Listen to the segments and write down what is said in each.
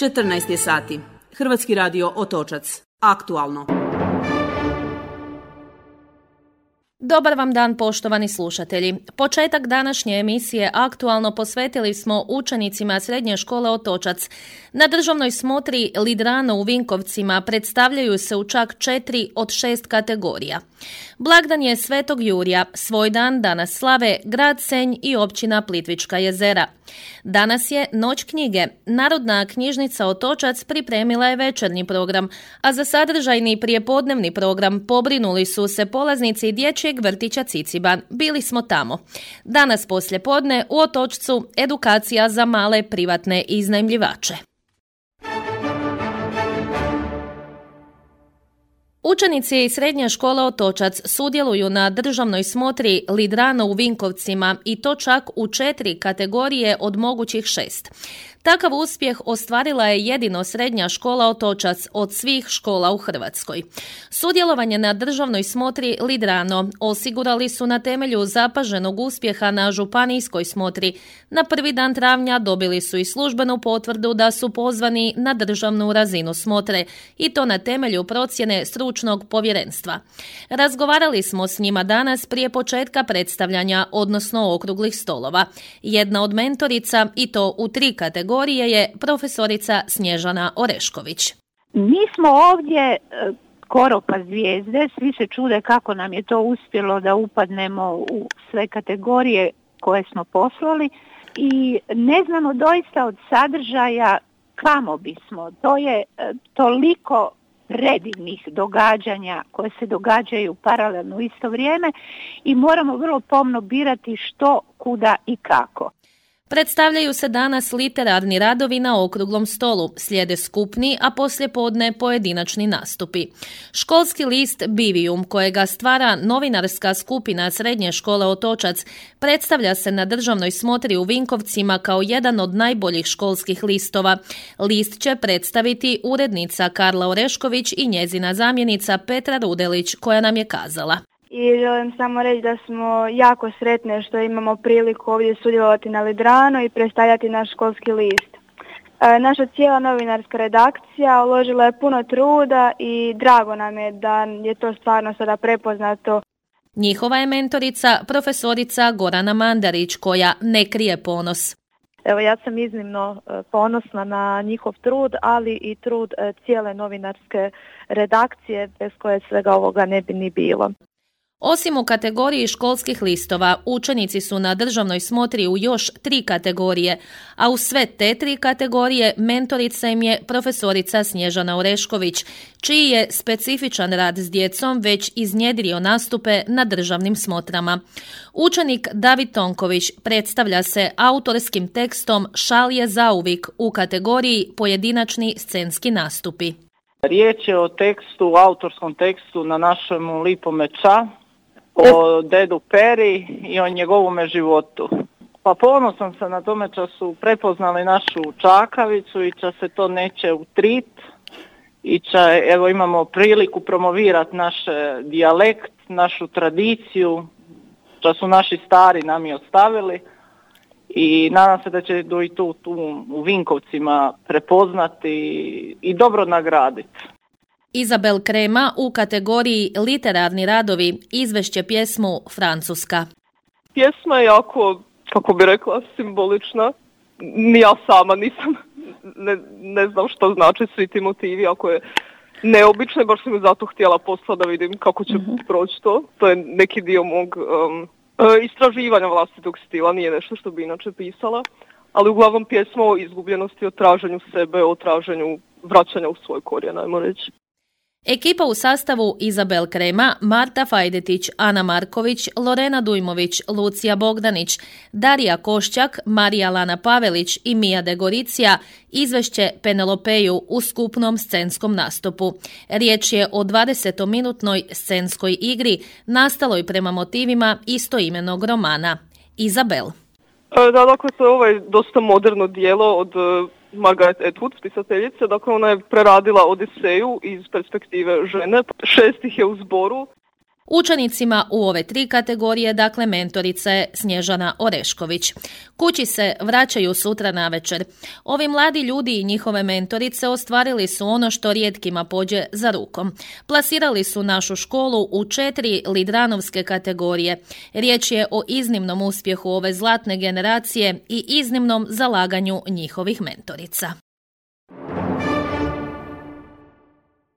14 je sati. Hrvatski radio Otočac. Aktualno. Dobar vam dan, poštovani slušatelji. Početak današnje emisije Aktualno posvetili smo učenicima Srednje škole Otočac. Na državnoj smotri Lidrano u Vinkovcima predstavljaju se u čak 4 od 6 kategorija. Blagdan je Svetog Jurija, svoj dan danas slave grad Senj i općina Plitvička jezera. Danas je Noć knjige. Narodna knjižnica Otočac pripremila je večernji program, a za sadržajni prijepodnevni program pobrinuli su se polaznici dječjeg vrtića Ciciban. Bili smo tamo. Danas poslijepodne u Otočcu edukacija za male privatne iznajmljivače. Učenici Srednje škole Otočac sudjeluju na državnoj smotri Lidrano u Vinkovcima i to čak u 4 kategorije od mogućih 6. Takav uspjeh ostvarila je jedino Srednja škola Otočac od svih škola u Hrvatskoj. Sudjelovanje na državnoj smotri Lidrano osigurali su na temelju zapaženog uspjeha na županijskoj smotri. Na prvi dan travnja dobili su i službenu potvrdu da su pozvani na državnu razinu smotre i to na temelju procjene stručnog povjerenstva. Razgovarali smo s njima danas prije početka predstavljanja, odnosno okruglih stolova. Jedna od mentorica, i to u 3 kategorije, je profesorica Snježana Orešković. Mi smo ovdje skoro pa zvijezde, svi se čude kako nam je to uspjelo da upadnemo u sve kategorije koje smo poslali i ne znamo doista od sadržaja kamo bismo. To je toliko predivnih događanja koje se događaju paralelno u isto vrijeme i moramo vrlo pomno birati što, kuda i kako. Predstavljaju se danas literarni radovi na okruglom stolu, slijede skupni, a poslijepodne pojedinačni nastupi. Školski list Bivijum, kojega stvara novinarska skupina Srednje škole Otočac, predstavlja se na državnoj smotri u Vinkovcima kao jedan od najboljih školskih listova. List će predstaviti urednica Karla Orešković i njezina zamjenica Petra Rudelić, koja nam je kazala. I želim samo reći da smo jako sretne što imamo priliku ovdje sudjelovati na Lidrano i predstavljati naš školski list. Naša cijela novinarska redakcija uložila je puno truda i drago nam je da je to stvarno sada prepoznato. Njihova je mentorica profesorica Gorana Mandarić, koja ne krije ponos. Evo, ja sam iznimno ponosna na njihov trud, ali i trud cijele novinarske redakcije bez koje svega ovoga ne bi ni bilo. Osim u kategoriji školskih listova, učenici su na državnoj smotri u još 3 kategorije, a u sve te 3 kategorije mentorica im je profesorica Snježana Orešković, čiji je specifičan rad s djecom već iznjedrio nastupe na državnim smotrama. Učenik David Tonković predstavlja se autorskim tekstom Šal je zauvik u kategoriji pojedinačni scenski nastupi. Riječ je o tekstu, autorskom tekstu na našem lipome ča, o dedu Peri i o njegovome životu. Pa ponosan sam na tome što su prepoznali našu čakavicu i što se to neće utrit i što evo imamo priliku promovirati naš dijalekt, našu tradiciju, što su naši stari nam i ostavili i nadam se da će i tu u Vinkovcima prepoznati i dobro nagraditi. Izabel Krema u kategoriji literarni radovi izvešće pjesmu Francuska. Pjesma je jako, kako bi rekla, simbolična. Ni ja sama nisam, ne znam što znači svi ti motivi, ako je neobično, baš sam zato htjela poslati da vidim kako će proći to. To je neki dio mog istraživanja vlastitog stila, nije nešto što bi inače pisala, ali uglavnom pjesma o izgubljenosti, o traženju sebe, o traženju vraćanja u svoj korijen, ajmo reći. Ekipa u sastavu Izabel Krema, Marta Fajdetić, Ana Marković, Lorena Dujmović, Lucija Bogdanić, Darija Košćak, Marija Lana Pavelić i Mija Degoricija izvešće Penelopeju u skupnom scenskom nastupu. Riječ je o 20-minutnoj scenskoj igri nastaloj prema motivima istoimenog romana. Izabel. Da, dakle, to je ovaj dosta moderno dijelo od Margaret Atwood, pisateljice. Dakle, ona je preradila Odiseju iz perspektive žene. 6 ih je u zboru. Učenicima u ove 3 kategorije, dakle, mentorica je Snježana Orešković. Kući se vraćaju sutra navečer. Ovi mladi ljudi i njihove mentorice ostvarili su ono što rijetkima pođe za rukom. Plasirali su našu školu u 4 lidranovske kategorije. Riječ je o iznimnom uspjehu ove zlatne generacije i iznimnom zalaganju njihovih mentorica.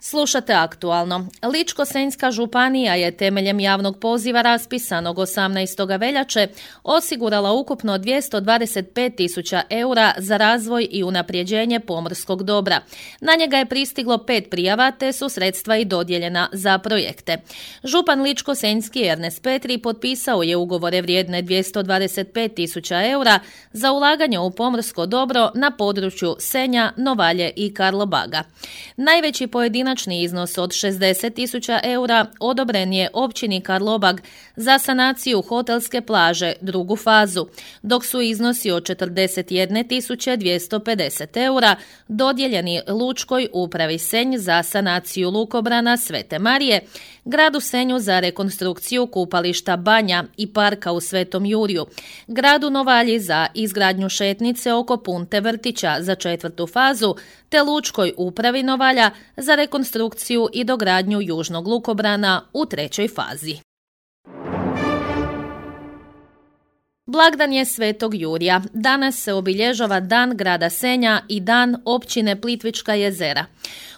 Slušate Aktualno. Ličko-senjska županija je temeljem javnog poziva raspisanog 18. veljače osigurala ukupno 225.000 eura za razvoj i unapređenje pomorskog dobra. Na njega je pristiglo 5 prijava te su sredstva i dodijeljena za projekte. Župan Ličko-senjski Ernest Petri potpisao je ugovore vrijedne 225.000 eura za ulaganje u pomorsko dobro na području Senja, Novalje i Karlobaga. Najveći pojedinačni iznos od 60.000 eura odobren je općini Karlobag za sanaciju hotelske plaže, drugu fazu, dok su iznosi od 41.250 eura dodijeljeni Lučkoj upravi Senj za sanaciju lukobrana Svete Marije, gradu Senju za rekonstrukciju kupališta Banja i parka u Svetom Jurju, gradu Novalji za izgradnju šetnice oko Punte vrtića za 4. fazu, te Lučkoj upravi Novalja za rekonstrukciju i dogradnju južnog lukobrana u 3. fazi. Blagdan je Svetog Jurja. Danas se obilježava Dan grada Senja i Dan općine Plitvička jezera.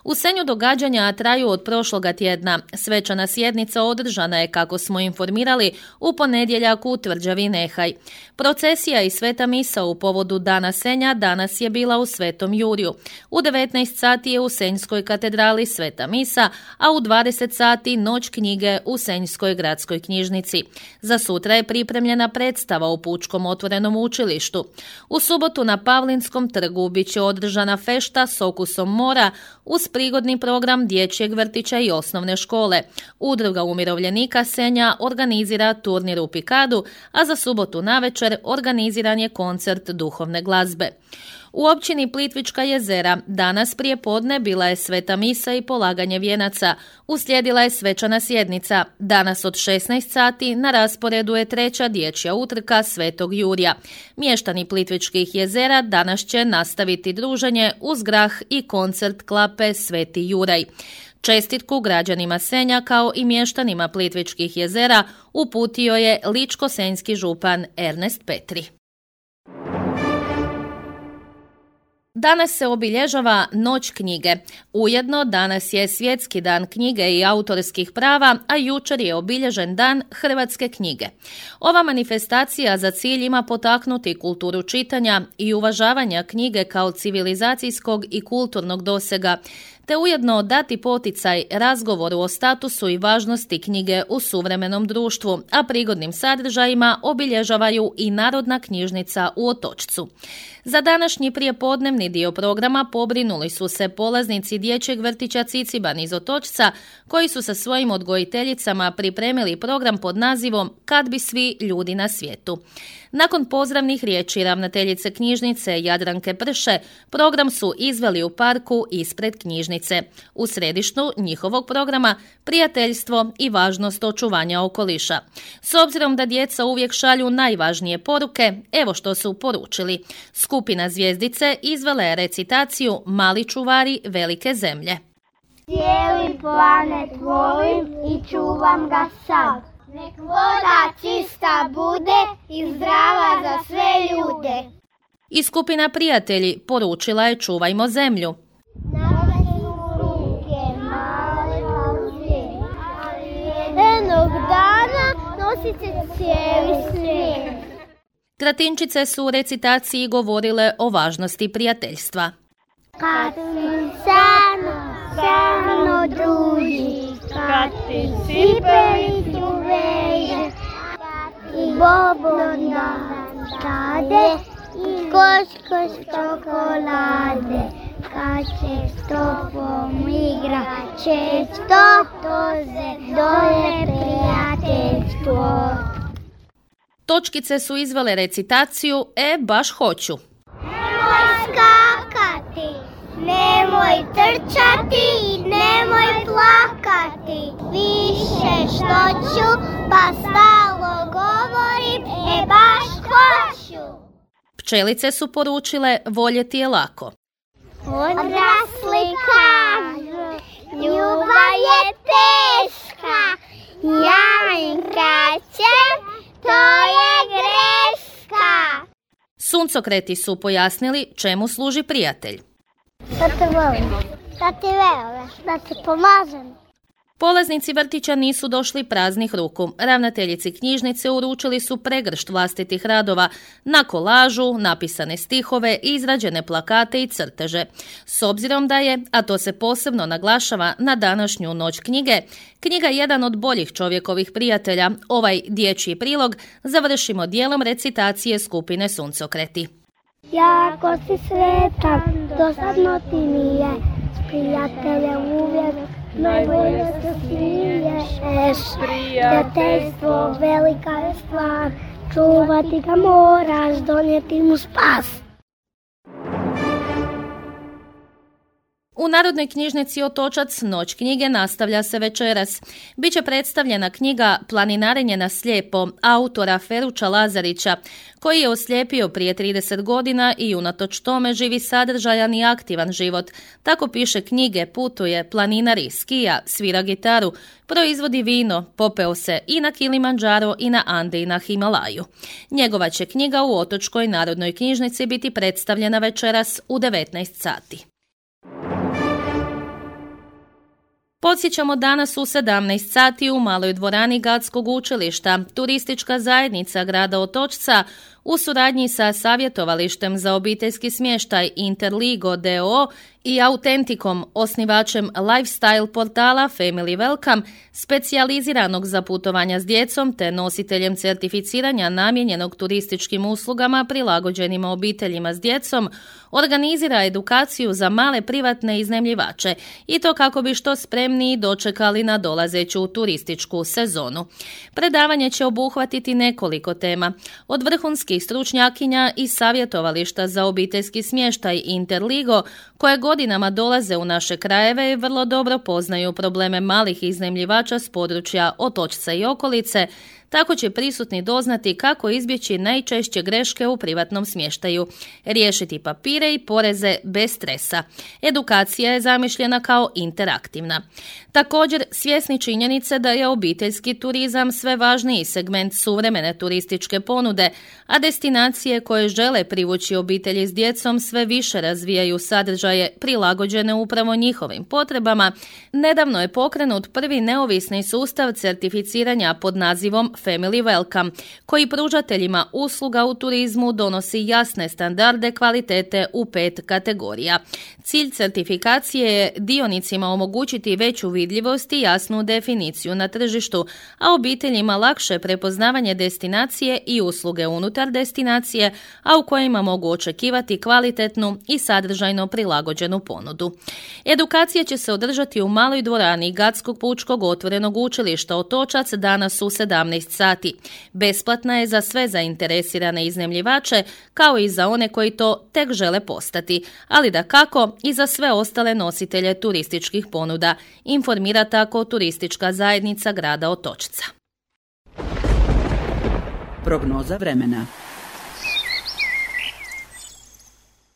U Senju događanja traju od prošloga tjedna. Svečana sjednica održana je, kako smo informirali, u ponedjeljak u tvrđavi Nehaj. Procesija i sveta misa u povodu Dana Senja danas je bila u Svetom Jurju. U 19 sati je u Senjskoj katedrali sveta misa, a u 20 sati noć knjige u Senjskoj gradskoj knjižnici. Za sutra je pripremljena predstava u Pučkom otvorenom učilištu. U subotu na Pavlinskom trgu bit će održana fešta s okusom mora uz prigodni program dječjeg vrtića i osnovne škole. Udruga umirovljenika Senja organizira turnir u Pikadu, a za subotu navečer organiziran je koncert duhovne glazbe. U općini Plitvička jezera danas prije podne bila je sveta misa i polaganje vijenaca. Uslijedila je svečana sjednica. Danas od 16 sati na rasporedu je 3. dječja utrka Svetog Jurja. Mještani Plitvičkih jezera danas će nastaviti druženje uz grah i koncert klape Sveti Juraj. Čestitku građanima Senja kao i mještanima Plitvičkih jezera uputio je ličko-senjski župan Ernest Petri. Danas se obilježava Noć knjige. Ujedno danas je Svjetski dan knjige i autorskih prava, a jučer je obilježen Dan hrvatske knjige. Ova manifestacija za cilj ima potaknuti kulturu čitanja i uvažavanja knjige kao civilizacijskog i kulturnog dosega, te ujedno dati poticaj razgovoru o statusu i važnosti knjige u suvremenom društvu, a prigodnim sadržajima obilježavaju i Narodna knjižnica u Otočcu. Za današnji prijepodnevni dio programa pobrinuli su se polaznici dječjeg vrtića Ciciban iz Otočca, koji su sa svojim odgojiteljicama pripremili program pod nazivom Kad bi svi ljudi na svijetu. Nakon pozdravnih riječi ravnateljice knjižnice Jadranke Prše, program su izveli u parku ispred knjižnice. U središtu njihovog programa prijateljstvo i važnost očuvanja okoliša. S obzirom da djeca uvijek šalju najvažnije poruke, evo što su poručili. Skupina Zvjezdice izvela je recitaciju Mali čuvari velike zemlje. Cijeli planet volim i čuvam ga sav. Nek voda čista bude i zdrava za sve ljude. I skupina Prijatelji poručila je Čuvajmo zemlju. Nama su ruke male kao svijet, ali jednog dana nosit će cijeli svijet. Tratinčice su u recitaciji govorile o važnosti prijateljstva. Kad sano druži, kad ti cipelicu veže, i bobo nam dade, i koš čokolade, kad će s tobom igra često, dole prijateljstvo. Točkice su izvele recitaciju baš hoću. Nemoj skakati, nemoj trčati, nemoj plakati, više što ću, pa stalno govorim, baš hoću. Pčelice su poručile voljeti je lako. Odrasli kažu, ljubav je teška, ja im kažem, to je greška. Suncokreti su pojasnili čemu služi prijatelj. Da te volim, da te verujem, da te pomažem. Polaznici vrtića nisu došli praznih ruku. Ravnateljici knjižnice uručili su pregršt vlastitih radova na kolažu, napisane stihove, izrađene plakate i crteže. S obzirom da je, a to se posebno naglašava na današnju noć knjige, knjiga jedan od boljih čovjekovih prijatelja, ovaj dječji prilog završimo dijelom recitacije skupine Suncokreti. Jako si sretan, dosadno ti nije, s prijateljem uvijek najbolje se smiješ. Prijateljstvo velika je stvar, čuvati ga moraš, donijeti mu spas. U Narodnoj knjižnici Otočac noć knjige nastavlja se večeras. Biće predstavljena knjiga Planinarenje na slijepo autora Feruča Lazarića, koji je oslijepio prije 30 godina i unatoč tome živi sadržajan i aktivan život. Tako piše knjige, putuje, planinari, skija, svira gitaru, proizvodi vino, popeo se i na Kilimandžaro i na Ande i na Himalaju. Njegova će knjiga u Otočkoj Narodnoj knjižnici biti predstavljena večeras u 19 sati. Podsjećamo danas u 17 sati u maloj dvorani Gatskog učilišta. Turistička zajednica grada Otočca u suradnji sa savjetovalištem za obiteljski smještaj Interligo d.o.o. i Autentikom, osnivačem lifestyle portala Family Welcome, specijaliziranog za putovanja s djecom te nositeljem certificiranja namijenjenog turističkim uslugama prilagođenima obiteljima s djecom, organizira edukaciju za male privatne iznajmljivače i to kako bi što spremniji dočekali na dolazeću turističku sezonu. Predavanje će obuhvatiti nekoliko tema, od vrhunskih stručnjakinja i savjetovališta za obiteljski smještaj Interligo, koje godinama dolaze u naše krajeve i vrlo dobro poznaju probleme malih iznajmljivača s područja Otočca i okolice, tako će prisutni doznati kako izbjeći najčešće greške u privatnom smještaju, riješiti papire i poreze bez stresa. Edukacija je zamišljena kao interaktivna. Također, svjesni činjenice da je obiteljski turizam sve važniji segment suvremene turističke ponude, a destinacije koje žele privući obitelji s djecom sve više razvijaju sadržaje prilagođene upravo njihovim potrebama, nedavno je pokrenut prvi neovisni sustav certificiranja pod nazivom Family Welcome, koji pružateljima usluga u turizmu donosi jasne standarde kvalitete u 5 kategorija. Cilj certifikacije je dionicima omogućiti veću vidljivost i jasnu definiciju na tržištu, a obiteljima lakše prepoznavanje destinacije i usluge unutar destinacije, a u kojima mogu očekivati kvalitetnu i sadržajno prilagođenu ponudu. Edukacija će se održati u maloj dvorani Gatskog pučkog otvorenog učilišta Otočac danas u 17 sati. Besplatna je za sve zainteresirane iznajmljivače, kao i za one koji to tek žele postati, ali dakako i za sve ostale nositelje turističkih ponuda, informira tako turistička zajednica grada Otočca. Prognoza vremena.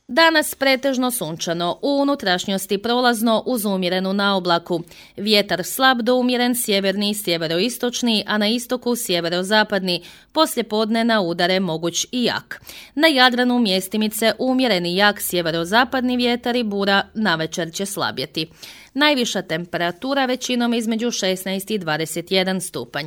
Danas pretežno sunčano, u unutrašnjosti prolazno uz umjerenu naoblaku. Vjetar slab do umjeren sjeverni i sjeveroistočni, a na istoku sjeverozapadni. Poslijepodne na udare moguć i jak. Na Jadranu mjestimice umjereni jak sjeverozapadni vjetar i bura navečer će slabjeti. Najviša temperatura većinom između 16 i 21 stupanj.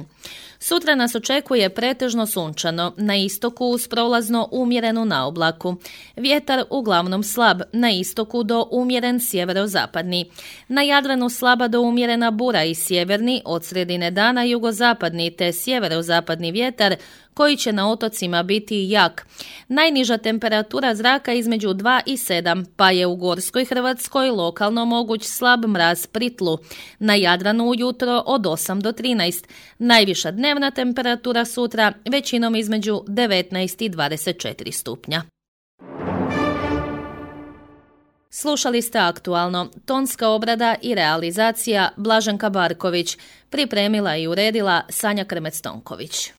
Sutra nas očekuje pretežno sunčano, na istoku uz prolazno umjerenu naoblaku. Vjetar uglavnom slab, na istoku do umjeren sjeverozapadni. Na Jadranu slaba do umjerena bura i sjeverni, od sredine dana jugozapadni te sjeverozapadni vjetar, koji će na otocima biti jak. Najniža temperatura zraka između 2 i 7, pa je u Gorskoj Hrvatskoj lokalno moguć slab mraz pri tlu. Na Jadranu ujutro od 8 do 13. Najviša dnevna temperatura sutra većinom između 19 i 24 stupnja. Slušali ste Aktualno, tonska obrada i realizacija Blaženka Barković, pripremila i uredila Sanja Krmec-Tonković.